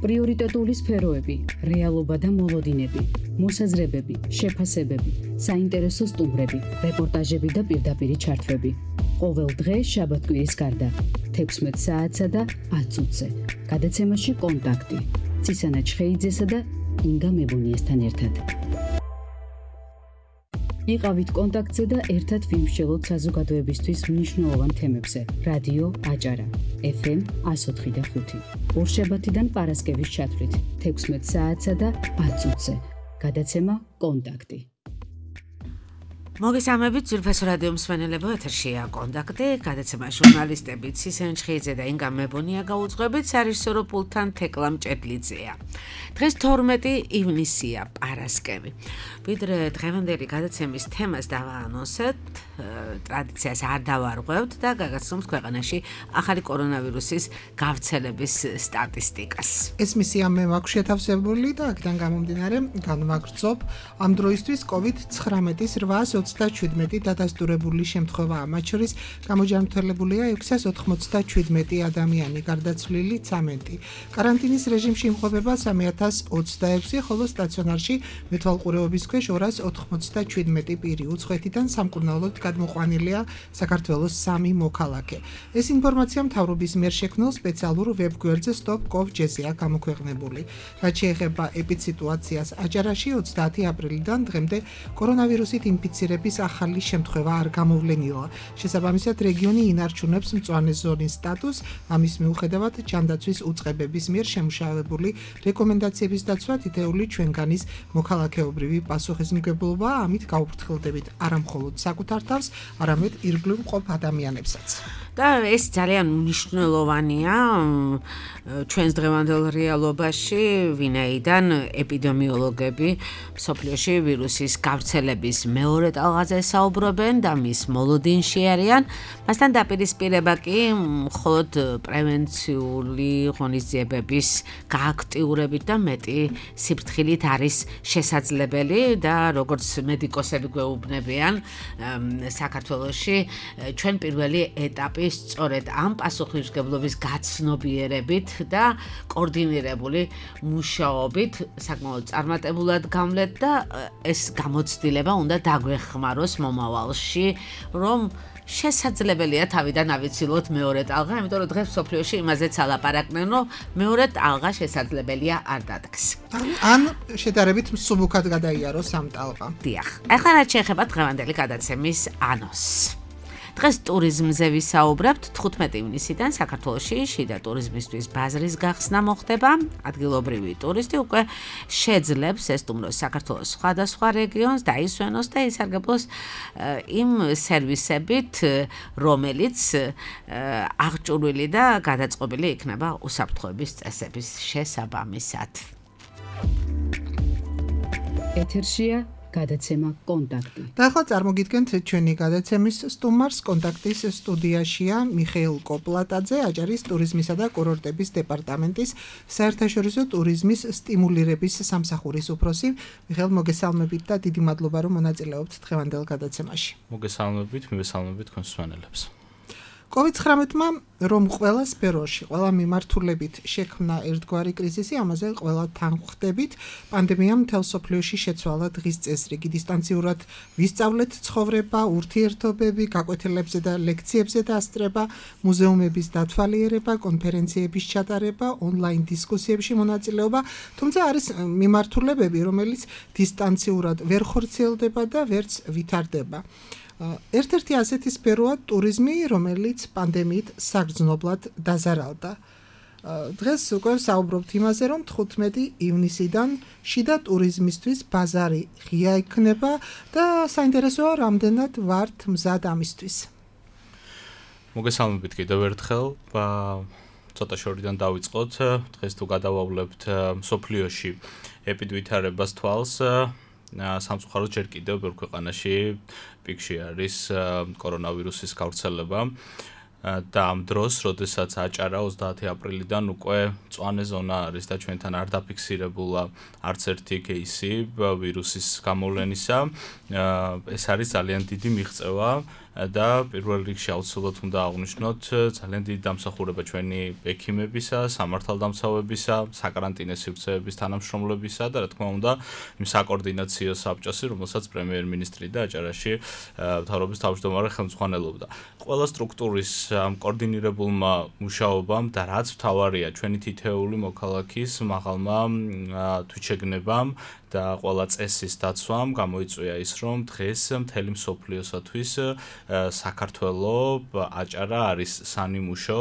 პრიორიტეტული სფეროები, რეალობა და მოლოდინები, მოსაზრებები, შეფასებები, საინტერესო სტუმრები, რეპორტაჟები და პირდაპირი ჩართვები. ყოველ დღე შაბათ-კვირის გარდა 16 საათსა და 10 წუთზე. გადაცემაში კონტაქტი. ცისანა ჩხეიძესა და ინგა მებუნიესთან ერთად. იყავით კონტაქტზე და ერთად ვიმსჯელოთ საზოგადოებისთვის მნიშვნელოვან თემებზე. რადიო აჭარა, FM 104.5. ორშაბათიდან პარასკევის ჩათვლით 16 საათსა და 10 წუთზე. გადაცემა კონტაქტი. მოგესალმებით ძვირფასო რადიო მსმენელებო, ეთერშია კონტაქტი, გადაცემა ჟურნალისტები ცისანა ჩხეიძე და ინგა მებუნია გაუძღვებით, სარეჟისორო პულტთან თეკლა მჭედლიძეა. დღეს 12 ივნისია, პარასკევი. ვიდრე დღევანდელი გადაცემის თემას დავაანონსეთ, ტრადიციას არ დავარღვევთ და გაგაცნობთ ქვეყანაში ახალი კორონავირუსის გავრცელების სტატისტიკას. ეს მისია მე მაქვს შეთავსებული და აქედან გამომდინარე განვაგრძობ ამ დროისთვის COVID-19-ის 827 დადასტურებული შემთხვევაა, მათ შორის გამოჯანმრთელებულია 697 ადამიანი, გარდაცვლილი 13. კარანტინის რეჟიმში იმყოფება 3026, ხოლო სტაციონარში მეთვალყურეობის ქვეშ 287 პირი. უცხოეთიდან სამკურნალოდ გადმოყვანილია საქართველოს 3 მოქალაქე. ეს ინფორმაცია მთავრობის მიერ შექმნილ სპეციალურ ვებგვერდზე stop.gov.gr-ია გამოქვეყნებული. რაც შეეხება ეპიდსიტუაციას აჭარაში, 30 აპრილიდან დღემდე კორონავირუსით ინფიცირების ახალი შემთხვევა არ გამოვლენილა. შესაბამისად, რეგიონი ინარჩუნებს მწვანე ზონის სტატუსს, ამის მიუხედავად ჯანდაცვის უწყებების მიერ შემუშავებული რეკომენდაციების დაცვა თითეული ჩვენგანის მოქალაქეობრივი პასუხისმგებლობაა, ამით გავუფრთხილდებით არა მხოლოდ საკუთარ თავს, არამედ ირგვლივ მყოფ ადამიანებსაც. და ეს ძალიან მნიშვნელოვანია ჩვენს დღევანდელ რეალობაში, ვინაიდან ეპიდემიოლოგები მსოფლიოში ვირუსის გავრცელების მეორე ტალღაზე საუბრობენ და მის მოლოდინში არიან. მასთან დაპირისპირება კი მხოლოდ პრევენციული ღონისძიებების გააქტიურებით და მეტი სიფრთხილით არის შესაძლებელი და როგორც მედიკოსები გვეუბნებიან, საქართველოში ჩვენ პირველი ეტაპი სწორედ ამ პასუხისმგებლობის გაცნობიერებით და კოორდინირებული მუშაობით საკმაოდ წარმატებულად გამლეთ და ეს გამოცდილება უნდა დაგვეხმაროს მომავალში, რომ შესაძლებელია თავიდან ავიცილოთ მეორე ტალღა, იმიტომ რომ დღეს მსოფლიოში იმაზეც ალაპარაკდნენ, რომ მეორე ტალღა შესაძლებელია არ დადგეს. ან შედარებით მსუბუქად გადაიაროს ამ ტალღა. დიახ. ახლა რაც შეეხება დღევანდელი გადაცემის ანონსს. დღეს ტურიზმზე ვისაუბრებთ. 15 ივნისიდან საქართველოში შიდა ტურიზმისთვის ბაზრის გახსნა მოხდება. ადგილობრივი ტურისტი უკვე შეძლებს ესტუმროს საქართველოს სხვადასხვა რეგიონს, დაისვენოს და ისარგებლოს იმ სერვისებით, რომელიც აღჭურვილი და გადაწყობილი იქნება უსაფრთხოების წესების შესაბამისად. ეთერშია გადაცემა კონტაქტი. და ახლა წარმოგიდგენთ ჩვენი გადაცემის სტუმარს. კონტაქტის სტუდიაშია მიხეილ კოპლატაძე, აჭარის ტურიზმისა და კურორტების დეპარტამენტის საერთაშორისო ტურიზმის სტიმულირების სამსახურის უფროსი. მიხეილ, მოგესალმებით და დიდი მადლობა, რომ მონაწილეობთ დღევანდელ გადაცემაში. მოგესალმებით, მივესალმებით კონსულტანტებს. COVID-19-მა რომ ყველა სფეროში, ყველა მიმართულებით შექმნა ერთგვარი კრიზისი, ამაზე ყველა თანხმდებით. პანდემიამ მთელ მსოფლიოში შეცვალა დღის წესრიგი, დისტანციურად ვისწავლეთ ცხოვრება, ურთიერთობები, გაკვეთილებზე და ლექციებზე დასწრება, მუზეუმების დათვალიერება, კონფერენციების ჩატარება, ონლაინ დისკუსიებში მონაწილეობა, თუმცა არის მიმართულებები, რომელიც დისტანციურად ვერ ხორციელდება და ვერც ვითარდება. ერთ-ერთი ასეთი სფეროა ტურიზმი, რომელიც პანდემიით საგრძნობლად დაზარალდა. დღეს უკვე საუბრობთ იმაზე, რომ 15 ივნისიდან შიდა ტურიზმისთვის ბაზარი ღია იქნება და საინტერესოა, რამდენად ვართ მზად ამისთვის. მოგესალმებით კიდევ ერთხელ. ცოტა შორიდან დავიწყოთ. დღეს თუ გადავავლებთ მსოფლიოში ეპიდვითარებას თვალს, სამწუხაროდ ჯერ კიდევ ბევრ ქვეყანაში პიკში არის კორონავირუსის გავრცელება და ამ დროს, როდესაც აჭარა 30 აპრილიდან უკვე მწვანე ზონა არის და ჩვენთან არ დაფიქსირებულა არც ერთი кейსი ვირუსის გამოვლენისა, ეს არის ძალიან დიდი მიღწევა და პირველ რიგში აუცილებლად უნდა აღვნიშნოთ ძალიან დიდი დამსახურება ჩვენი ექიმებისა, სამართალდამცავებისა, საკარანტინო სივრცეების თანამშრომლებისა და რა თქმა უნდა იმ საკოორდინაციო საბჭოსი, რომელსაც პრემიერ-მინისტრი და აჭარაში მთავრობის თავმჯდომარე ხელმძღვანელობდა. ყველა სტრუქტურის ამ კოორდინირებულმა მუშაობამ და რაც მთავარია ჩვენი თითეული მოქალაქის მაღალმა თვითშეგნებამ და ყველა წესის დაცვამ გამოიწვია ის, რომ დღეს მთელი მსოფლიოსათვის საქართველო აჭარა არის სანიმუშო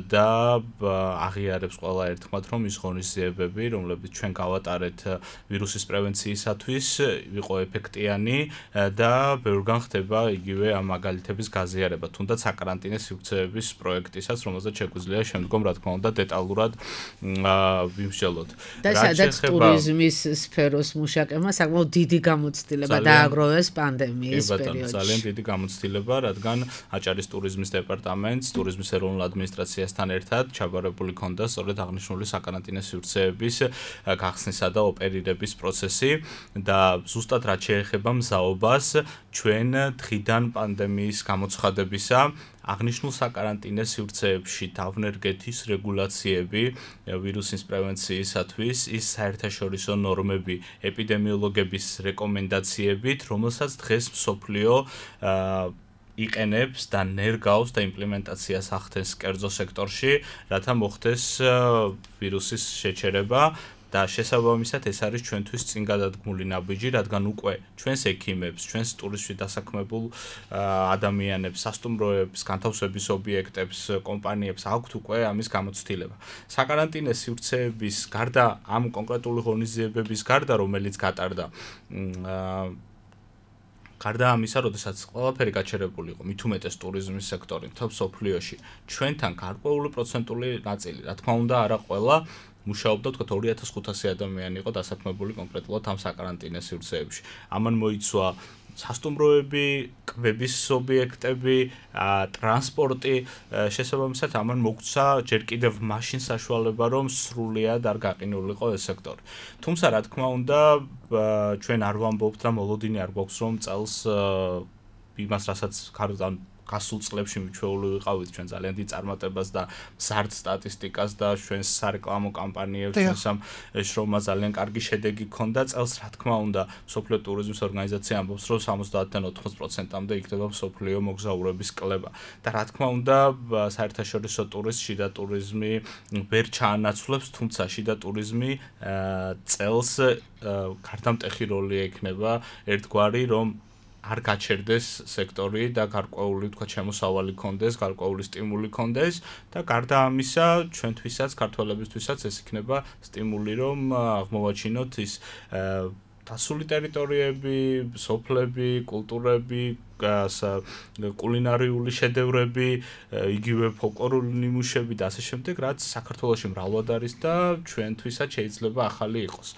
და აღიარებს ყველა ერთხმად, რომ ის ღონისძიებები, რომლებიც ჩვენ გავატარეთ ვირუსის პრევენციისათვის, იყო ეფექტიანი და ბევრგან ხდება იგივე ამ მაგალითების გაზიარება, თუნდაც საკარანტინო სივრცეების პროექტისაც, რომელზეც შეგვიძლია შემდგომ, რა თქმა უნდა, დეტალურად ვიმსჯელოთ. და სადაც ტურიზმის სფეროს მუშაკებმა საკმაოდ დიდი გამოცდილება დააგროვეს პანდემიის პერიოდში. ძალიან დიდი გამოცდილება, რადგან აჭარის ტურიზმის დეპარტამენტს, ტურიზმის ეროვნულ ადმინისტრაციასთან ერთად ჩაბარებული ჰქონდა სწორედ აღნიშნული საკარანტინო სივრცეების გახსნისა და ოპერირების პროცესი და ზუსტად რაც შეეხება მზაობას, ჩვენ დღიდან პანდემიის გამოცხადებისა აღნიშნულ საკარანტინო სივრცეებში დავნერგეთის რეგულაციები ვირუსის პრევენციისათვის, ის საერთაშორისო ნორმები, ეპიდემიოლოგების რეკომენდაციებით, რომელსაც დღეს მსოფლიო იყენებს და ნერგავს და იმპლემენტაციას ახდენს კერძო სექტორში, რათა მოხდეს ვირუსის შეჩერება. და შესაბამისად ეს არის ჩვენთვის წინ გადადგმული ნაბიჯი, რადგან უკვე ჩვენს ექიმებს, ჩვენს ტურიზმში დასაქმებულ ადამიანებს, სასტუმროებს, განთავსების ობიექტებს, კომპანიებს აქვთ უკვე ამის გამოცდილება. საკარანტინო სივრცეების გარდა ამ კონკრეტული ღონისძიებების გარდა, რომელიც გატარდა გარდა ამისა, როდესაც ყველაფერი გაჩერებული იყო, მით უმეტეს ტურიზმის სექტორი მთელ მსოფლიოში, ჩვენთან გარკვეული პროცენტული ნაწილი, რა თქმა უნდა, არა ყველა მუშაობდა, თქვათ 2500 ადამიანი იყო დასაქმებული კონკრეტულად ამ საკარანტინო სივრცეებში. ამან მოიცვა სასტუმროები, კვების ობიექტები, ტრანსპორტი, შესაბამისად ამან მოგვცა ჯერ კიდევ მაშინ საშუალება, რომ სრულიად არ გაყინულიყო ეს სექტორი. თუმცა, რა თქმა უნდა, ჩვენ არ ვამბობთ და მოლოდინი არ გვაქვს, რომ წელს იმას, რასაც გასულ წლებში მიჩვეული ვიყავით ჩვენ ძალიან დიდ წარმატებას და მზარდ სტატისტიკას და ჩვენს სარეკლამო კამპანიებს, ჩვენს ამ შრომას ძალიან კარგი შედეგი ჰქონდა წელს, რა თქმა უნდა, მსოფლიო ტურიზმის ორგანიზაცია ამბობს, რომ 70-დან 80%-მდე იქნება მსოფლიო მოგზაურობის კლება. და რა თქმა უნდა, საერთაშორისო ტურიზმი, შიდა ტურიზმი ვერ ჩაანაცვლებს, თუმცა შიდა ტურიზმი წელს გარდამტეხი როლი ექნება ერთგვარი, რომ არ გაჩერდეს სექტორი და გარკვეული თქვა შემოსავალი ქონდეს, გარკვეული სტიმული ქონდეს და გარდა ამისა, ჩვენთვისაც, ქართველებისთვისაც ეს იქნება სტიმული, რომ აღმოვაჩინოთ ის დასული ტერიტორიები, სოფლები, კულტურები, კულინარიული შედევრები, იგივე ფოლკლორული ნიმუშები და ასე შემდეგ, რაც საქართველოში მრავლად არის და ჩვენთვისაც შეიძლება ახალი იყოს.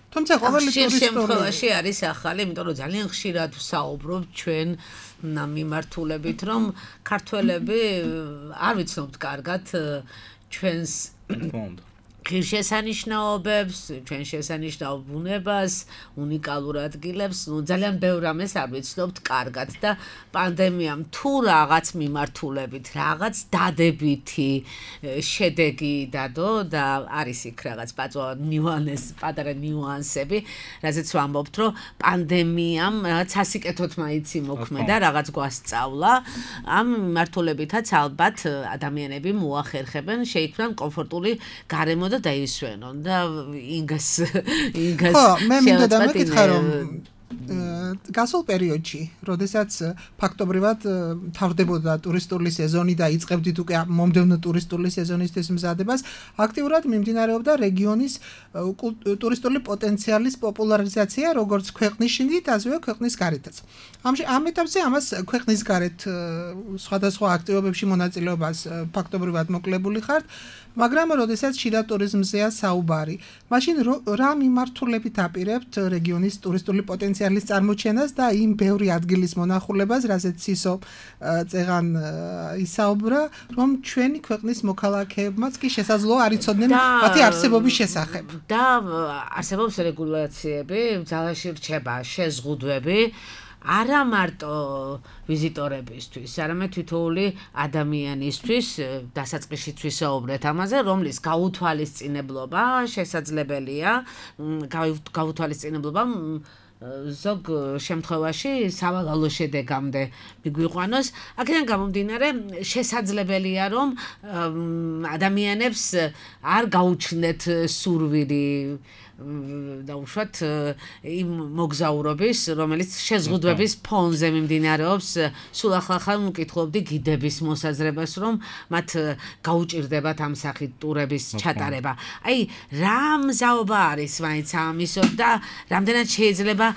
თუმცა ყოველი შემთხვევაში არის ახალი, იმიტომ რომ ძალიან ხშირად ვსაუბრობთ ჩვენ მიმართულებით, რომ ქართველები არ ვიცნობთ კარგად ჩვენს ღირსშესანიშნაობებს, ჩვენ შესანიშნავ ბუნებას, უნიკალურ ადგილებს, ძალიან ბევრ რამეს არ ვიცნობთ კარგად და პანდემიამ თუ რაღაც მიმართულებით, რაღაც დადებითი შედეგი დადო და არის იქ რაღაც პატარა ნიუანსები, რაზეც ვამბობთ, რომ პანდემიამ რაღაც სასიკეთოდ მაინც იმოქმედა, რაღაც გვასწავლა, ამ მიმართულებითაც ალბათ ადამიანები მოახერხებენ, შეიქმნან კომფორტული გარემო და დაისვენონ და ინგას მე მინდა დამეკითხა, რომ გასულ პერიოდში, როდესაც ფაქტობრივად თავდებოდა ტურისტული სეზონი და იწყებდით უკვე მომდევნო ტურისტული სეზონისთვის მზადებას, აქტიურად მიმდინარეობდა რეგიონის ტურისტული პოტენციალის პოპულარიზაცია, როგორც ქვეყნის შიგნით, ასევე ქვეყნის გარეთაც. ამ ეტაპზე ამას ქვეყნის გარეთ სხვადასხვა აქტივობებში მონაწილეობას ფაქტობრივად მოკლებული ხართ, მაგრამ როდესაც შიდა ტურიზმზეა საუბარი, მაშინ რა მიმართულებით აპირებთ რეგიონის ტურისტული პოტენციალის წარმოჩენას და იმ ბევრი ადგილის მონახულებას, რასაც სისო წეღან ისაუბრა, რომ ჩვენი ქვეყნის მოქალაქეებმაც კი შესაძლოა არ იცოდნენ მათი არსებობის შესახებ. და არსებობს რეგულაციები, ძალაში რჩება შეზღუდვები, არა მარტო ვიზიტორებისთვის, არამედ თითოეული ადამიანისთვის, დასაწყისშიც ვისაუბრეთ ამაზე, რომლის გაუთვალისწინებლობა შესაძლებელია, გაუთვალისწინებლობა ზოგ შემთხვევაში სავალალო შედეგამდე მიგვიყვანოს. აქედან გამომდინარე, შესაძლებელია, რომ ადამიანებს არ გაუჩნდეთ სურვილი დაუშვათ იმ მოგზაურობის, რომელიც შეზღუდვების ფონზე მიმდინარეობს. სულ ახლა მკითხულობდი გიდების მოსაზრებას, რომ მათ გაუჭირდებათ ამ სახით ტურების ჩატარება. აი, რა მზაობა არის მაინც ამისო და რამდენად შეიძლება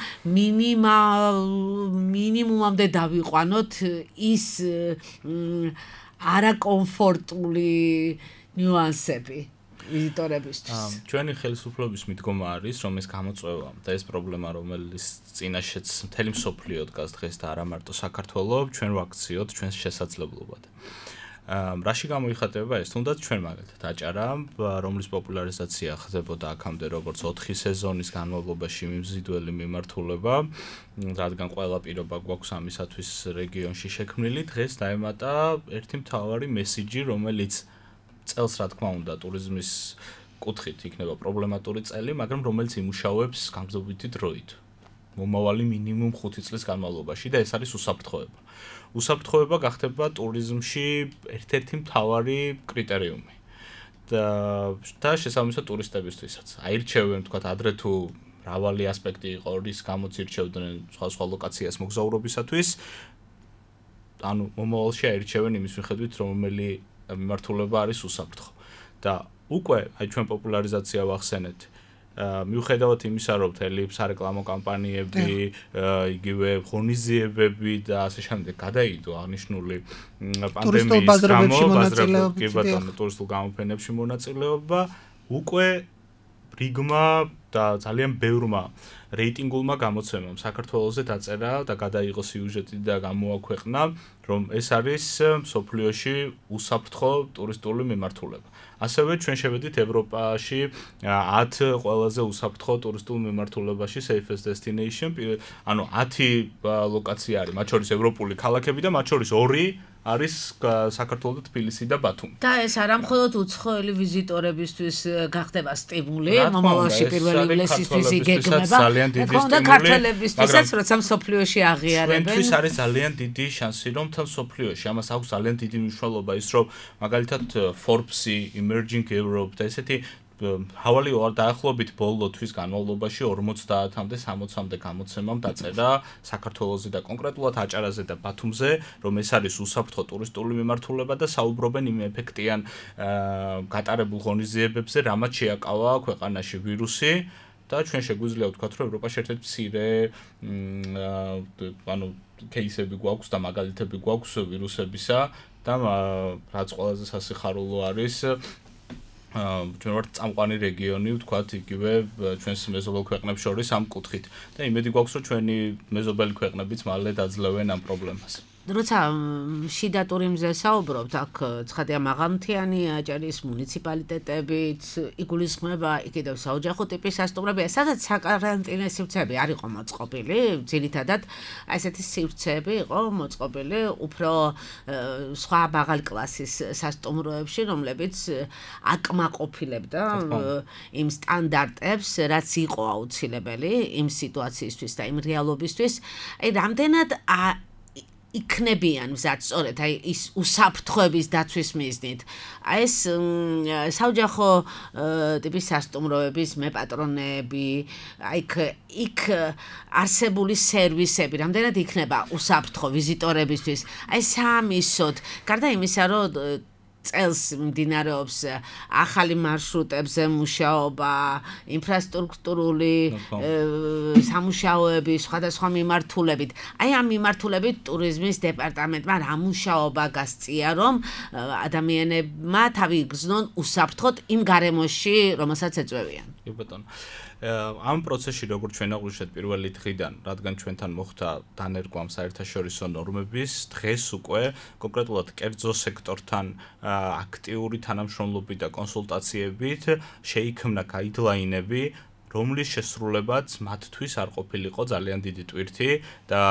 მინიმუმამდე დავიყვანოთ ის არაკომფორტული ნიუანსები ვიზიტორებისთვის. ჩვენი ხელისუფლების მიდგომა არის, რომ ეს გამოწვევა და ეს პრობლემა, რომელიც წინაშეც მთელი მსოფლიო დგას დღეს და არა მარტო საქართველოს, ჩვენ ვაქციოთ ჩვენს შესაძლებლობად. რაში გამოიხატება ეს? თუნდაც ჩვენ მაგალითად აჭარა, რომლის პოპულარიზაცია ხდებოდა აქამდე როგორც 4 სეზონის განმავლობაში მიმზიდველი მიმართულება, რადგან ყველა პირობა გვაქვს ამისათვის რეგიონში შექმნილი, დღეს დაემატა ერთი მთავარი მესიჯი, რომელიც წელს რა თქმა უნდა ტურიზმის კუთხით იქნება პრობლემატური წელი, მაგრამ რომელიც იმუშავებს გამგზავრებითი დროით. მომავალი მინიმუმ 5 წლის განმავლობაში და ეს არის უსაფრთხოება. უსაფრთხოება გახდება ტურიზმში ერთ-ერთი მთავარი კრიტერიუმი. და შესაბამისად ტურისტებისთვისაც. აირჩევენ თქვათ ადრე თუ მრავალი ასპექტი იყო, რის გამოც ირჩევდნენ სხვა ლოკაციას მოგზაურობისათვის. ანუ მომავალში აირჩევენ იმის მიხედვით, რომელი მიმართულება არის უსაფრთხო. და უკვე აი ჩვენ პოპულარიზაცია ვახსენეთ. მიუხედავად იმისა, რომ მთელი სარეკლამო კამპანიები, იგივე ღონისძიებები და ასე შემდეგ გადაიდო აღნიშნული პანდემიის გამო, ტურისტულ გამოფენებში მონაწილეობა, უკვე რიგმა და ძალიან ბევრმა რეიტინგულმა გამოცემამ საქართველოზე დაწერა და გადაიღო სიუჟეტი და გამოაქვეყნა, რომ ეს არის მსოფლიოში უსაფრთხო ტურისტული მიმართულება. ასევე ჩვენ შევედით ევროპაში 10 ყველაზე უსაფრთხო ტურისტულ მიმართულებაში safest destination, ანუ 10 ლოკაცია არის, მათ შორის ევროპული ქალაქები და მათ შორის 2 არის საქართველო და თბილისი და ბათუმი. და ეს არა მხოლოდ უცხოელი ვიზიტორებისთვის გახდება სტიმული, მომავალში პირველი ივლისისთვის იგეგმება, თქონდა ქართველებისთვისაც, როცა მსოფლიოში აღიარებენ. ჩვენთვის არის ძალიან დიდი შანსი, რომ მთელ მსოფლიოში ამას აქვს ძალიან დიდი მნიშვნელობა ის, რომ მაგალითად Forbes-ი, Emerging Europe და ესეთი ჰავალი დაახლოებით ბოლო თვის განმავლობაში 50-მდე 60-მდე გამოცემამ დაწერა საქართველოზე და კონკრეტულად აჭარაზე და ბათუმზე, რომ ეს არის უსაფრთხო ტურისტული მიმართულება და საუბრობენ იმ ეფექტიან გატარებულ ღონისძიებებზე, რამაც შეაკავა ქვეყანაში ვირუსი და ჩვენ შეგვიძლია ვთქვათ, რომ ევროპაში ერთ-ერთი მცირე ანუ кейსები გვაქვს და მაგალითები გვაქვს ვირუსებისა და რაც ყველაზე სასიხარულო არის ჩვენ ვართ წამყვანი რეგიონი, ვთქვათ, იგივე ჩვენს მეზობელ ქვეყნებს შორის ამ კუთხით და იმედი გვაქვს, რომ ჩვენი მეზობელი ქვეყნებიც მალე დაძლევენ ამ პრობლემას. როცა შიდა ტურიზმზე საუბრობთ, აქ ცხადია მაღალმთიანი აჭარის მუნიციპალიტეტებით იგულისხმება კიდევ საოჯახო ტიპის სასტუმრები, სადაც საკარანტინო სივრცეები არ იყო მოწყობილი, ძირითადად ესეთი სივრცეები იყო მოწყობილი უფრო სხვა მაღალი კლასის სასტუმროებში, რომლებიც აკმაყოფილებდა იმ სტანდარტებს, რაც იყო აუცილებელი იმ სიტუაციისთვის და იმ რეალობისთვის. აი, რამდენად იქნებიან მზად სწორედ აი ის უსაფრთხოების დაცვის მიზნით. აი ეს საოჯახო ტიპის სასტუმროების მეპატრონეები, აი იქ არსებული სერვისები, რამდენად იქნება უსაფრთხო ვიზიტორებისთვის. აი სამისოდ, გარდა იმისა, რომ წელს მიმდინარეობს ახალი მარშრუტებზე მუშაობა, ინფრასტრუქტურული სამუშაოები სხვადასხვა მიმართულებით. აი ამ მიმართულებით ტურიზმის დეპარტამენტმა რა მუშაობა გასწია, რომ ადამიანებმა თავი იგრძნონ უსაფრთხოდ იმ გარემოში, რომელსაც ეწევიან. კი ბატონო. ამ პროცესში როგორც ჩვენ აღვნიშნეთ პირველი დღიდან, რადგან ჩვენთან მოხდა დანერგვა საერთაშორისო ნორმების, დღეს უკვე კონკრეტულად კერძო სექტორთან აქტიური თანამშრომლობით და კონსულტაციებით შეიქმნა გაიდლაინები, რომლის შესრულებაც მათთვის არ ყოფილიყო ძალიან დიდი ტვირთი და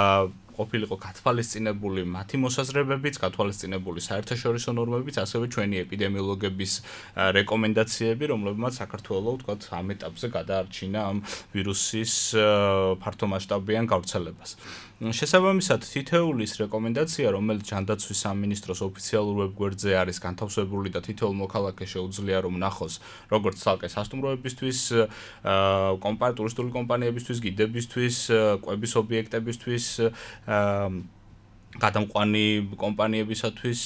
ყოფილიყო გათვალისწინებული მათი მოსაზრებებიც, გათვალისწინებული საერთაშორისო ნორმებიც, ასევე ჩვენი ეპიდემიოლოგების რეკომენდაციები, რომლებმაც საქართველოს ვთქვათ ამ ეტაპზე გადაარჩინა ამ ვირუსის ფართომასშტაბიან გავრცელებას. შესაბამისად, თითოეული ის რეკომენდაცია, რომელიც ჯანდაცვის სამინისტროს ოფიციალურ ვებგვერდზე არის განთავსებული და თითოეულ მოქალაქეს შეუძლია რომ ნახოს, როგორც ცალკე სასტუმროებისთვის, ტურისტული კომპანიებისთვის, გიდებისთვის, კვების ობიექტებისთვის, გადამყვანი კომპანიებისათვის,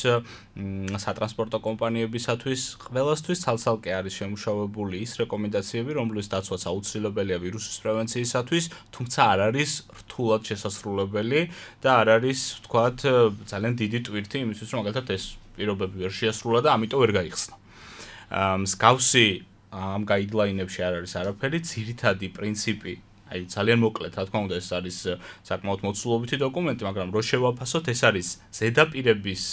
სატრანსპორტო კომპანიებისათვის, ყველასთვის ცალ-ცალკე არის შემუშავებული ის რეკომენდაციები, რომლის დაცვაც აუცილებელია ვირუსის პრევენციისათვის, თუმცა არ არის რთულად შესასრულებელი და არ არის, ვთქვათ, ძალიან დიდი ტვირთი იმისთვის, რომ მაგალითად ეს პირობები ვერ შეასრულა და ამიტომ ვერ გაიხსნა. მსგავსი ამ გაიდლაინებში არ არის არაფერი, ძირითადი პრინციპი აი ძალიან მოკლედ, რა თქმა უნდა, ეს არის საკმაოდ მოცულობითი დოკუმენტი, მაგრამ რო შევაფასოთ, ეს არის ზედაპირების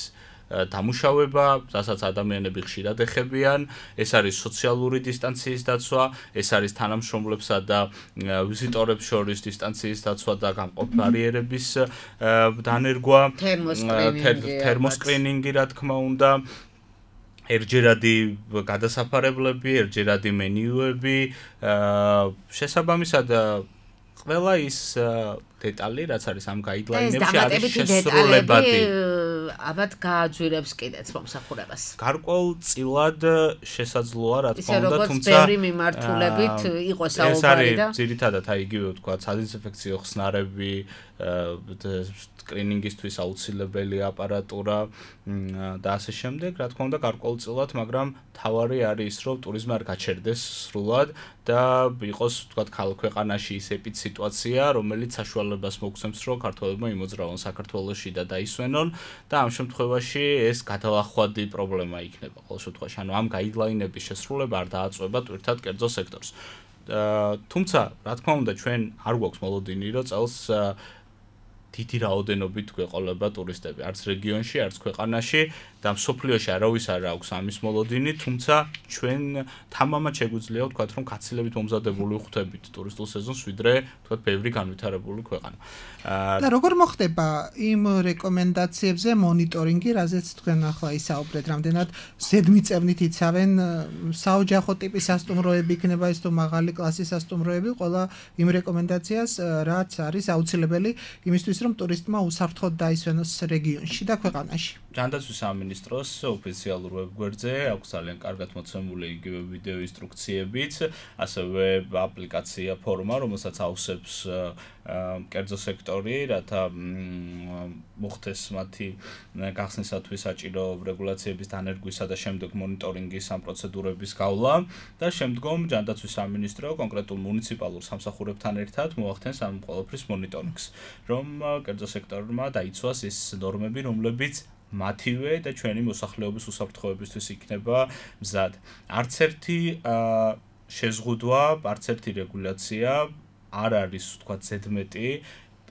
დამუშავება, რასაც ადამიანები ხშირად ეხებიან, ეს არის სოციალური დისტანციის დაცვა, ეს არის თანამშრომლებსა და ვიზიტორებს შორის დისტანციის დაცვა და გამყოფ ბარიერების დანერგვა, თერმოსკრინინგი, რა თქმა უნდა, ერთჯერადი გადასაფარებლები, ერთჯერადი მენიუები, შესაბამისად ყველა ის დეტალი, რაც არის ამ გაიდლაინებში, არის შესრულებადი. აბათ გააძვირებს კიდეც მომსახურებას. გარკვეულწილად შესაძლოა, რა თქმა უნდა, თუმცა ბევრი მიმართულებით იყო საუბარი და ეს არის ძირითადად აი იგივე ვთქვა, სადიზინფექციო ხსნარები, სკრინინგისთვის აუცილებელი აპარატურა და ასე შემდეგ, რა თქმა უნდა, გარკვეულწილად, მაგრამ თავარი არის, რომ ტურიზმი არ გაჩერდეს სრულად და იყოს, ვთქვათ, ქვეყანაში ის ეპიდსიტუაცია, რომელიც საშუალებას მოგცემს, რომ ქართველებმა იმოძრავონ საქართველოში და დაისვენონ და ამ შემთხვევაში ეს გადალახვადი პრობლემა იქნება ყოველ შემთხვევაში. ანუ ამ გაიდლაინების შესრულება არ დააწყვება ტვირთად კერძო სექტორს. თუმცა, რა თქმა უნდა, ჩვენ არ გვაქვს მოლოდინი, რომ წელს დიდი რაოდენობით გვეყოლება ტურისტები, არც რეგიონში, არც ქვეყანაში და მსოფლიოში არავის არ აქვს ამის მოლოდინი, თუმცა ჩვენ თამამად შეგვიძლია ვთქვათ, რომ გაცილებით მომზადებული ვხვდებით ტურისტულ სეზონს, ვიდრე ვთქვათ, ბევრი განვითარებული ქვეყანა. და როგორ მოხდება იმ რეკომენდაციებზე მონიტორინგი, რაზეც თქვენ ახლა ისაუბრეთ, რამდენად ზედმიწევნით იცავენ საოჯახო ტიპის სასტუმროები იქნება ეს თუ მაღალი კლასის სასტუმროები, ყველა იმ რეკომენდაციას, რაც არის აუცილებელი იმისთვის, რომ ტურისტმა უსაფრთხოდ დაისვენოს რეგიონში და ქვეყანაში. ჯანდაცვის სამინისტროს ოფიციალურ ვებგვერდზე აქვს ძალიან კარგად მოცემული იგივე ვიდეო ინსტრუქციებიც, ასევე აპლიკაცია ფორმა, რომელსაც ავსებს კერძო სექტორი, რათა მოხდეს მათი გახსნისათვის საჭირო რეგულაციების დანერგვისა და შემდეგ მონიტორინგის ამ პროცედურების გავლა და შემდგომ ჯანდაცვის სამინისტრო კონკრეტულ მუნიციპალურ სამსახურებთან ერთად მოახდენს ამ ყველაფრის მონიტორინგს, რომ კერძო სექტორმა დაიცვას ის ნორმები, რომლებიც მათივე და ჩვენი მოსახლეობის უსაფრთხოებისთვის იქნება მზად. არც ერთი შეზღუდვა, არც ერთი რეგულაცია არ არის, ვთქვათ, ზედმეტი.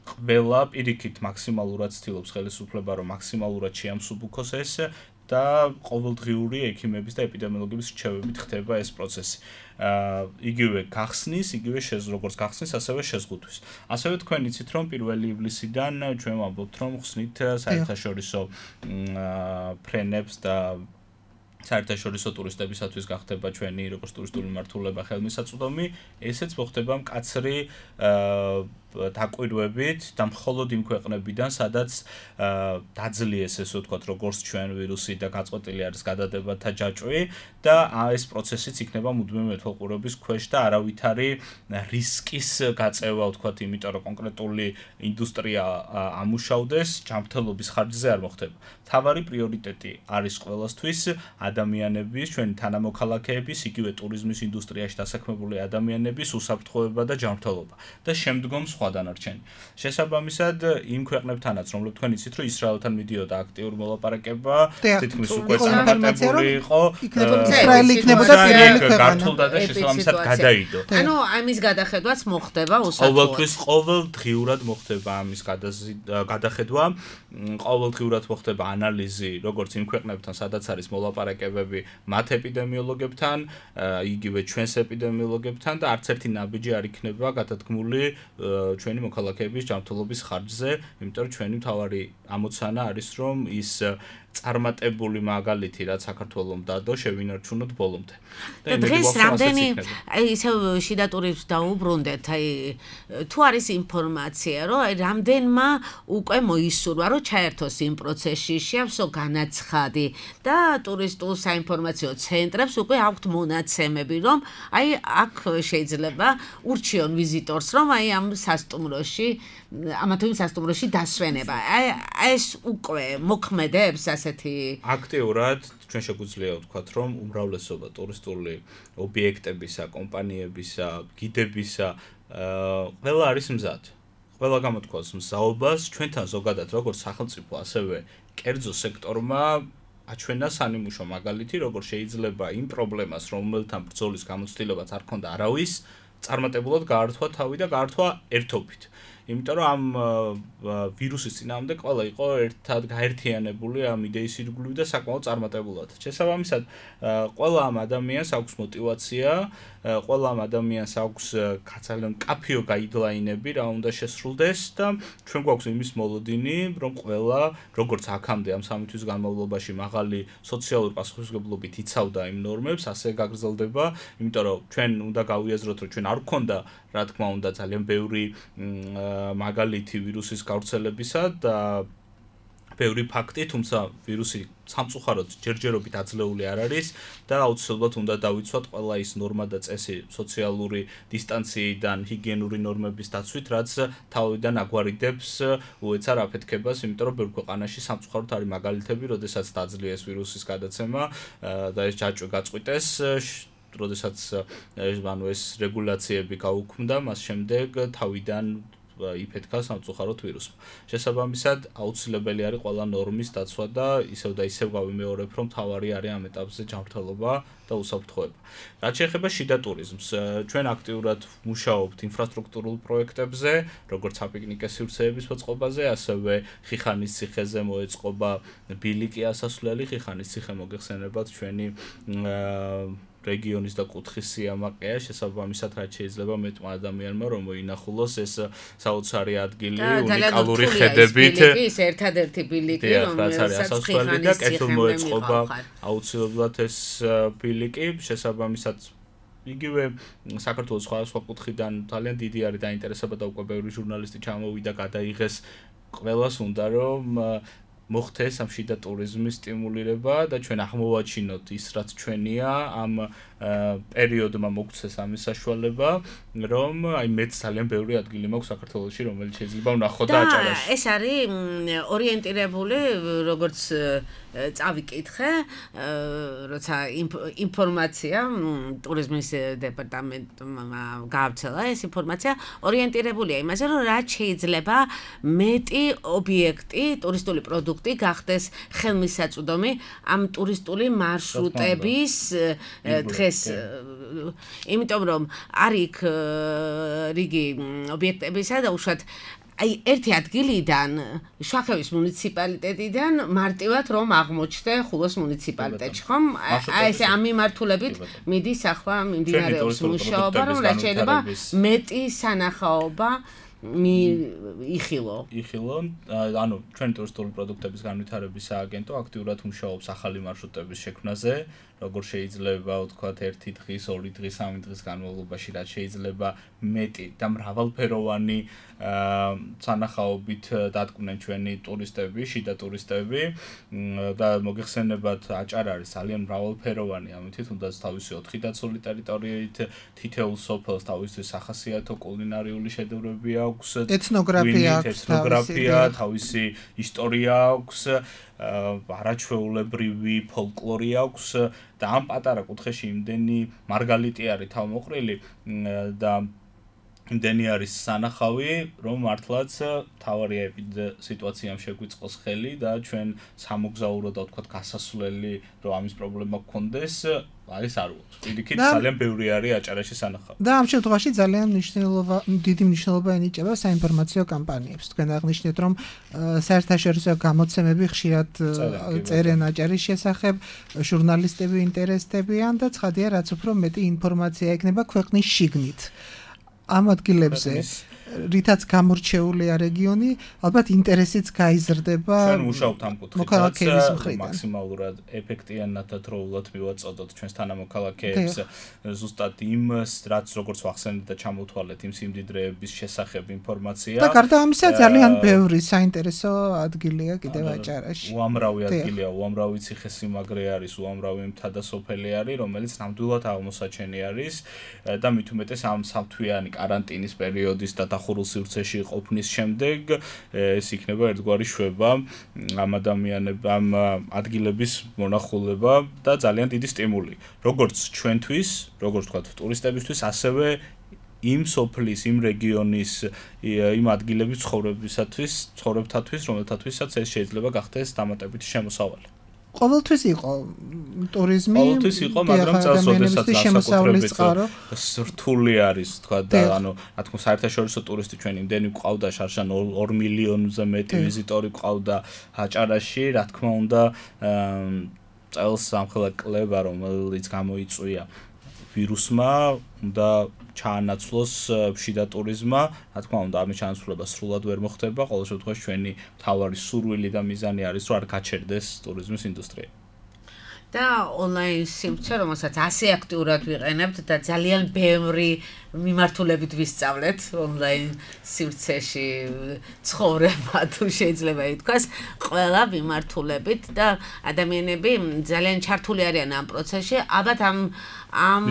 ყველა პირიქით მაქსიმალურად ცდილობს ხელისუფლება, რომ მაქსიმალურად შეამსუბუქოს ეს და ყოველდღიური ექიმების და ეპიდემიოლოგების რჩევებით ხდება ეს პროცესი. იგივე გახსნის, იგივე როგორც გახსნის, ასევე შეზღუდვის. ასევე თქვენ იცით, რომ 1 ივლისიდან ჩვენ ვამბობთ, რომ ხსნით საერთაშორისო ფრენებს და საერთაშორისო ტურისტებისათვის გახდება ჩვენი როგორც ტურისტული მმართველობა ხელმისაწვდომი, ესეც მოხდება მკაცრი დაკვირვებით და მხოლოდ იმ ქვეყნებიდან, სადაც დაძლიეს ესე ვთქვათ, როგორც ჩვენ ვირუსი და გაწყვეტილი არის გადადებათა ჯაჭვი და ეს პროცესიც იქნება მუდმივი მეთვალყურების ქვეშ და არავითარი რისკის გაწევა, ვთქვათ, იმიტომ რომ კონკრეტული ინდუსტრია ამუშავდეს, ჯანმრთელობის ხარჯზე არ მოხდება. მთავარი პრიორიტეტი არის ყველასთვის ადამიანების, ჩვენი თანამოქალაქეების, იგივე ტურიზმის ინდუსტრიაში დასაქმებული ადამიანების უსაფრთხოება და ჯანმრთელობა და შემდგომ სხვა დანარჩენი. შესაბამისად, იმ ქვეყნებთანაც, რომლებიც თქვენ იცით, რომ ისრაელთან მიდიოდა აქტიური მოლაპარაკება, თითქმის უკვე წარმატებული იყო, ისრაელი იქნებოდა პირველი ქვეყანა. გართულდა და შესაბამისად გადაიდო. ანუ ამის გადახედვაც მოხდება უსაფრთხოდ. ყოველთვის ყოველდღიურად მოხდება ამის გადახედვა, ყოველდღიურად მოხდება ანალიზი, როგორც იმ ქვეყნებთან, სადაც არის მოლაპარაკებები, მათ ეპიდემიოლოგებთან, იგივე ჩვენს ეპიდემიოლოგებთან და არც ერთი ნაბიჯი არ იქნება გადადგმული ჩვენი მოქალაქეების ჯანმრთელობის ხარჯზე, იმიტომ რომ ჩვენი მთავარი ამოცანა არის, რომ ის წარმატებული მაგალითი, რაც საქართველოს დადო, შევინარჩუნოთ ბოლომდე. და დღეს რამდენი ისევ შიდა ტურიზმს დაუბრუნდეთ, თუ არის ინფორმაცია, რომ რამდენმა უკვე მოისურვა, რომ ჩაერთოს იმ პროცესში, შეავსო განაცხადი და ტურისტულ საინფორმაციო ცენტრებს უკვე აქვთ მონაცემები, რომ აქ შეიძლება ურჩიონ ვიზიტორს, რომ ამ სასტუმროში ამა თუ იმ სასტუმროში დასვენება. ეს უკვე მოქმედებს ასეთი აქტიურად ჩვენ შეგვიძლია ვთქვათ, რომ უმრავლესობა ტურისტული ობიექტებისა, კომპანიებისა, გიდებისა ყველა არის მზად. ყველა გამოთქვას მზაობას ჩვენთან ზოგადად როგორც სახელმწიფო, ასევე კერძო სექტორმა აჩვენა სანიმუშო მაგალითი, როგორ შეიძლება იმ პრობლემას, რომელთან ბრძოლის გამოცდილებაც არ ქონდა არავის, წარმატებულად გაართვა თავი და გაართვა ერთობით. იმიტომ რომ ამ ვირუსის წინააღმდეგ ყველა იყო ერთად გაერთიანებული ამ იდეის ირგვლივ და საკმაოდ წარმატებულად. შესაბამისად, ყველა ამ ადამიანს აქვს мотиваცია, ყველა ამ ადამიანს აქვს ძალიან კაფეო გაიდლაინები, რა უნდა შესრულდეს და ჩვენ გვაქვს იმის მოლოდინი, რომ ყველა, როგორც აქამდე ამ 3 თვის განმავლობაში მაღალი სოციალური პასუხისმგებლობით იცავდა იმ ნორმებს, ასე გაგრძელდება, იმიტომ რომ ჩვენ უნდა გავიაზროთ, რომ ჩვენ არ გვქონდა, რა თქმა უნდა, ძალიან ბევრი მაგალითი ვირუსის გავრცელებისა და ბევრი ფაქტი, თუმცა ვირუსი სამწუხაროდ ჯერჯერობით აძლეული არ არის და აუცილებლად უნდა დავიცვათ ყველა ის ნორმა და წესი სოციალური დისტანციიდან, ჰიგიენური ნორმების დაცვით, რაც თავიდან აგვარიდებს უეცარ აფეთქებას, იმიტომ რომ ბევრ ქვეყანაში სამწუხაროდ არის მაგალითები, როდესაც დაძლიერეს ვირუსის გადაცემა და ეს ჯაჭვი გაწყვიტეს, როდესაც ეს რეგულაციები გაუქმდა, მას შემდეგ თავიდან იფეთქა სამწუხაროდ ვირუსმა. შესაბამისად, აუცილებელი არის ყველა ნორმის დაცვა და ისევ და ისევ გავიმეორებ, რომ თავარი არის ამ ეტაპზე ჯანმრთელობა და უსაფრთხოება. რაც შეეხება შიდა ტურიზმს, ჩვენ აქტიურად მუშაობთ ინფრასტრუქტურულ პროექტებზე, როგორც საპიკნიკე სივრცეების მოწყობაზე, ასევე ხიხანის ციხეზე მოეწყობა ბილიკი ასასვლელი, ხიხანის ციხე მოგეხსენებათ ჩვენი რეგიონის და კუთხის სიამაყეა, შესაბამისად რაც შეიძლება მეტმა ადამიანმა რომ მოინახულოს ეს საოცარი ადგილი უნიკალური ხედებით. ის ერთადერთი ბილიკი, რომელსაც ასასვლელი და კეთილ მოეწყობა აუცილებლად ეს ბილიკი, შესაბამისად იგივე საქართველოს სხვადასხვა კუთხიდან ძალიან დიდი არის დაინტერესება და უკვე ბევრი ჟურნალისტი ჩამოვიდა, გადაიღეს, ყველას უნდა რომ მოხდეს ამ შიდა ტურიზმის სტიმულირება და ჩვენ აღმოვაჩინოთ ის რაც ჩვენია ამ პერიოდმა მოგცეს ამის საშუალება რომ აი მეც ძალიან ბევრი ადგილი მაქვს საქართველოში რომელიც შეიძლება ვნახო და აჭარაში. ეს არის ორიენტირებული როგორც წავიკითხე, როცა ინფორმაცია ტურიზმის დეპარტამენტმა გაავრცელა ეს ინფორმაცია ორიენტირებულია იმაზე რომ რაც შეიძლება მეტი ობიექტი ტურისტული პროდუქტი გახდეს ხელმისაწვდომი ამ ტურისტული მარშრუტების დღეს იმიტომ რომ არის რიგი ობიექტებისა და უშუალოდ აი ერთი ადგილიდან შახევის მუნიციპალიტეტიდან მარტივად რომ აღმოჩნდა ხულოს მუნიციპალიტეტში ხომ აი ეს ამ მიმართულებით მიდის ახლა მიმდინარეობს მუშაობა რომ რაც შეიძლება მეტი სანახაობა იხილო ანუ ჩვენ ტურისტული პროდუქტების განვითარების სააგენტო აქტიურად მუშაობს ახალი მარშრუტების შექმნაზე როგორ შეიძლება ვთქვათ ერთი დღის, ორი დღის, სამი დღის განმავლობაში რაც შეიძლება მეტი და მრავალფეროვანი სანახაობით დადგნენ ჩვენი ტურისტები, შიდა ტურისტები და მოგეხსენებათ აჭარა არის ძალიან მრავალფეროვანი, ამიტომ თუნდაც თავისი 4 დაცული ტერიტორიით თითოეულ სოფელს თავისთვის სახასიათო კულინარიული შედევრები აქვს, ეთნოგრაფია, თავისი ისტორია აქვს, არაჩვეულებრივი ფოლკლორი აქვს და ამ პატარა კუთხეში იმდენი მარგალიტი არის თავმოყრილი და იმდენი არის სანახავი, რომ მართლაც თავარია სიტუაციამ შეგვიწყოს ხელი და ჩვენ სამოგზაურო და თქვათ გასასვლელი რომ ამის პრობლემა გქონდეს, არის არ უყურს. პირიქით ძალიან ბევრი არის აჭარაში სანახავი. და ამ შემთხვევაში ძალიან დიდი მნიშვნელობა ენიჭება საინფორმაციო კამპანიებს. თქვენ აღნიშნეთ, რომ საერთაშორისო გამოცემები ხშირად წერენ აჭარის შესახებ, ჟურნალისტები ინტერესდებიან და ცხადია, რაც უფრო მეტი ინფორმაცია ექნება ქვეყნის შიგნით. ამ ადგილებზე რითაც გამორჩეულია რეგიონი, ალბათ ინტერესიც გაიზრდება. ჩვენ მუშაობთ ამ კუთხით, მაქსიმალურად ეფექტიანად და დროულად მივაწოდოთ ჩვენს თანამოქალაქეებს ზუსტად იმ რაც როგორც ვახსენეთ და ჩამოვთვალეთ იმ სიმდიდრეების შესახებ ინფორმაცია. და გარდა ამისა ძალიან ბევრი საინტერესო ადგილია კიდევ აჭარაში. უამრავი ადგილია, უამრავი ციხესიმაგრე არის, უამრავი მთა და სოფელი არის, რომელიც ნამდვილად აღმოსაჩენი არის და მით უმეტეს ამ სამთვიანი კარანტინის პერიოდის და ხურულ სივრცეში ყოფნის შემდეგ ეს იქნება ერთგვარი შვება ამ ადამიანებამ ადგილების მონახულება და ძალიან დიდი სტიმული. Როგორც ჩვენთვის, როგორც თქვა ტურისტებისთვის, ასევე იმ სოფლის, იმ რეგიონის, იმ ადგილების ცხოვრებთათვის, რომელთათვისაც ეს შეიძლება გახდეს დამატებითი შემოსავალი. ყოველთვის იყო ტურიზმი, ყოველთვის იყო, მაგრამ წელსოდესაც განსაკუთრებით რთული არის, თქვა და ანუ რა თქმა უნდა საერთაშორისო ტურისტი ჩვენ იმდენი გვყავდა შარშან 2 მილიონზე მეტი ვიზიტორი გვყავდა აჭარაში, რა თქმა უნდა წელს ამხელა კლება რომელიც გამოიწვია ვირუსმა და ჩაანაცვლოს შიდა ტურიზმმა, რა თქმა უნდა ამის ჩანაცვლება სრულად ვერ მოხდება, ყოველ შემთხვევაში ჩვენი მთავარი სურვილი და მიზანი არის რომ არ გაჩერდეს ტურიზმის ინდუსტრია. და ონლაინ სივრცე, რომელსაც ასე აქტიურად ვიყენებთ და ძალიან ბევრი მიმართულებით ვისწავლეთ ონლაინ სივრცეში ცხოვრება თუ შეიძლება ითქვას, ყველა მიმართულებით და ადამიანები ძალიან ჩართული არიან ამ პროცესში, ალბათ ამ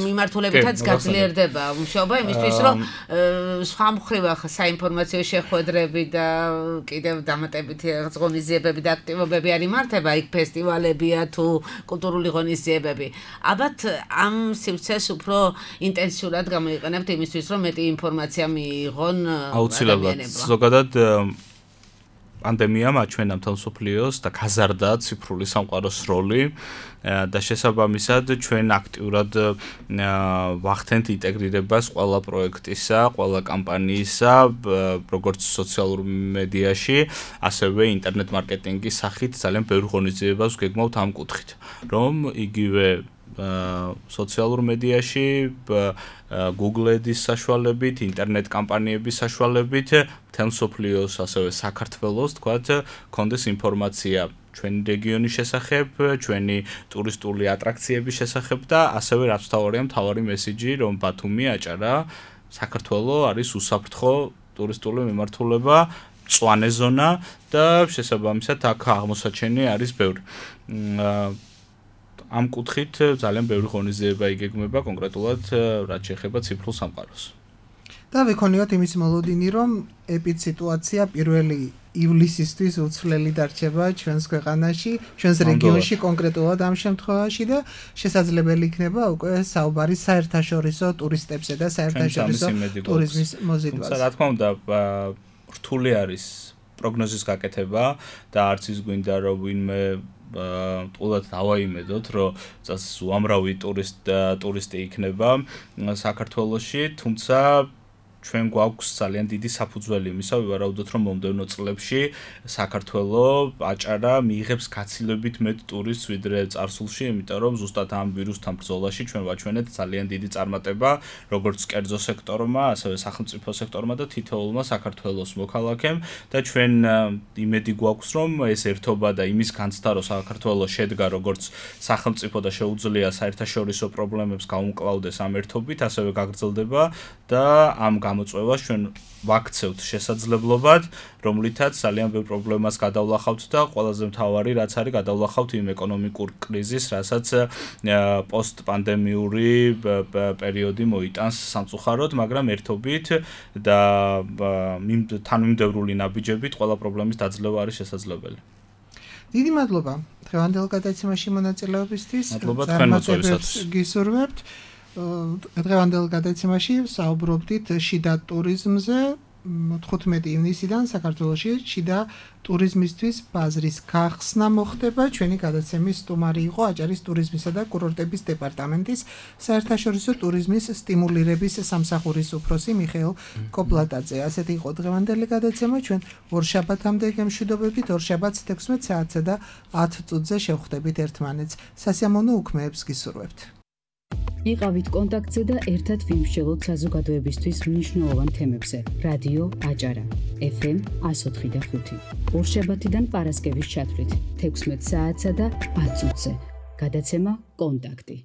მიმართულებითაც გაძლიერდება მუშაობა იმისთვის, რომ სხვა მხრივ საინფორმაციო შეხვედრები და კიდევ დამატებითი ღონისძიებები და აქტივობები არ იმართება, იქ ფესტივალებია თუ კულტურული ღონისძიებები. ალბათ ამ სივრცეს უფრო ინტენსიურად გამოიყენებთ იმისთვის, რომ მეტი ინფორმაცია მიიღონ ადამიანებმა. ზოგადად პანდემიამ აჩვენა მთელ მსოფლიოს და გაზარდა ციფრული სამყაროს როლი და შესაბამისად ჩვენ აქტიურად ვახდენთ ინტეგრირებას ყველა პროექტისა, ყველა კამპანიისა, როგორც სოციალურ მედიაში, ასევე ინტერნეტ მარკეტინგის სახით ძალიან ბევრი ღონისძიებას ვგეგმავთ ამ კუთხით, რომ იგივე სოციალურ მედიაში, Google Ads საშუალებით, ინტერნეტ კამპანიების საშუალებით, მთელ მსოფლიოს, ასევე საქართველოს, თქვათ, კონდეს ინფორმაცია ჩვენი რეგიონის შესახებ, ჩვენი ტურისტული ატრაქციების შესახებ და ასევე რაც მთავარი მესიჯი, რომ ბათუმი, აჭარა, საქართველო არის უსაფრთხო ტურისტული მიმართულება, მწვანე ზონა და შესაბამისად აქ აღმოსაჩენი არის ბევრი. ამ კუთხით ძალიან ბევრი ღონისძიება იგეგმება კონკრეტულად რაც შეეხება ციფრულ სამყაროს. და ვიქონიოთ იმის მოლოდინი, რომ ეპიდსიტუაცია 1 ივლისისთვის უცვლელი დარჩება ჩვენს ქვეყანაში, ჩვენს რეგიონში კონკრეტულად ამ შემთხვევაში და შესაძლებელი იქნება უკვე საუბარი საერთაშორისო ტურისტებზე და საერთაშორისო ტურიზმის მოზიდვაზე. რა თქმა უნდა, რთული არის პროგნოზის გაკეთება და არც ის გვინდა რომ ვინმე თულად დავაიმედოთ, რომ უამრავი ტურისტი იქნება საქართველოში, თუმცა ჩვენ გვაქვს ძალიან დიდი საფუძველი იმისა, ვივარაუდოთ, რომ მომდევნო წლებში საქართველო, აჭარა მიიღებს გაცილებით მეტ ტურისტს ვიდრე წარსულში, იმიტომ რომ ზუსტად ამ ვირუსთან ბრძოლაში ჩვენ ვაჩვენეთ ძალიან დიდი წარმატება, როგორც კერძო სექტორმა, ასევე სახელმწიფო სექტორმა და თითოეულმა საქართველოს მოქალაქემ და ჩვენ იმედი გვაქვს, რომ ეს ერთობა და იმის განცდა, რომ საქართველო შედგა როგორც სახელმწიფო და შეუძლია საერთაშორისო პრობლემებს გაუმკლავდეს ამ ერთობით, ასევე გაგრძელდება და ამ გამოწვევას ჩვენ ვაქცევთ შესაძლებლობად, რომლითაც ძალიან ბევრ პრობლემას გადავლახავთ და ყველაზე მთავარი რაც არის გადავლახავთ იმ ეკონომიკურ კრიზისს, რასაც პოსტპანდემიური პერიოდი მოიტანს სამწუხაროდ, მაგრამ ერთობით და თანმიმდევრული ნაბიჯებით ყველა პრობლემის დაძლევა არის შესაძლებელი. დიდი მადლობა დღევანდელ გადაცემაში მონაწილეობისთვის. მადლობა თქვენ მოწვევისათვის. გისურვებთ. დღევანდელ გადაცემაში საუბრობდით შიდა ტურიზმზე. 15 ივნისიდან საქართველოში შიდა ტურიზმისთვის ბაზრის გახსნა მოხდება. ჩვენი გადაცემის სტუმარი იყო აჭარის ტურიზმისა და კურორტების დეპარტამენტის საერთაშორისო ტურიზმის სტიმულირების სამსახურის უფროსი მიხეილ კოპლატაძე. ასეთი იყო დღევანდელი გადაცემა. ჩვენ ორშაბათამდე გემშვიდობებით, ორშაბათს 16 საათსა და 10 წუთზე შევხვდებით ერთმანეთს. სასიამოვნო უქმეებს გისურვებთ. იყავით კონტაქტზე და ერთად ვიმსჯელოთ საზოგადოებისთვის მნიშვნელოვან თემებზე. რადიო აჭარა FM 104.5. ორშაბათიდან პარასკევის ჩათვლით 16 საათსა და 10 წუთზე. გადაცემა კონტაქტი.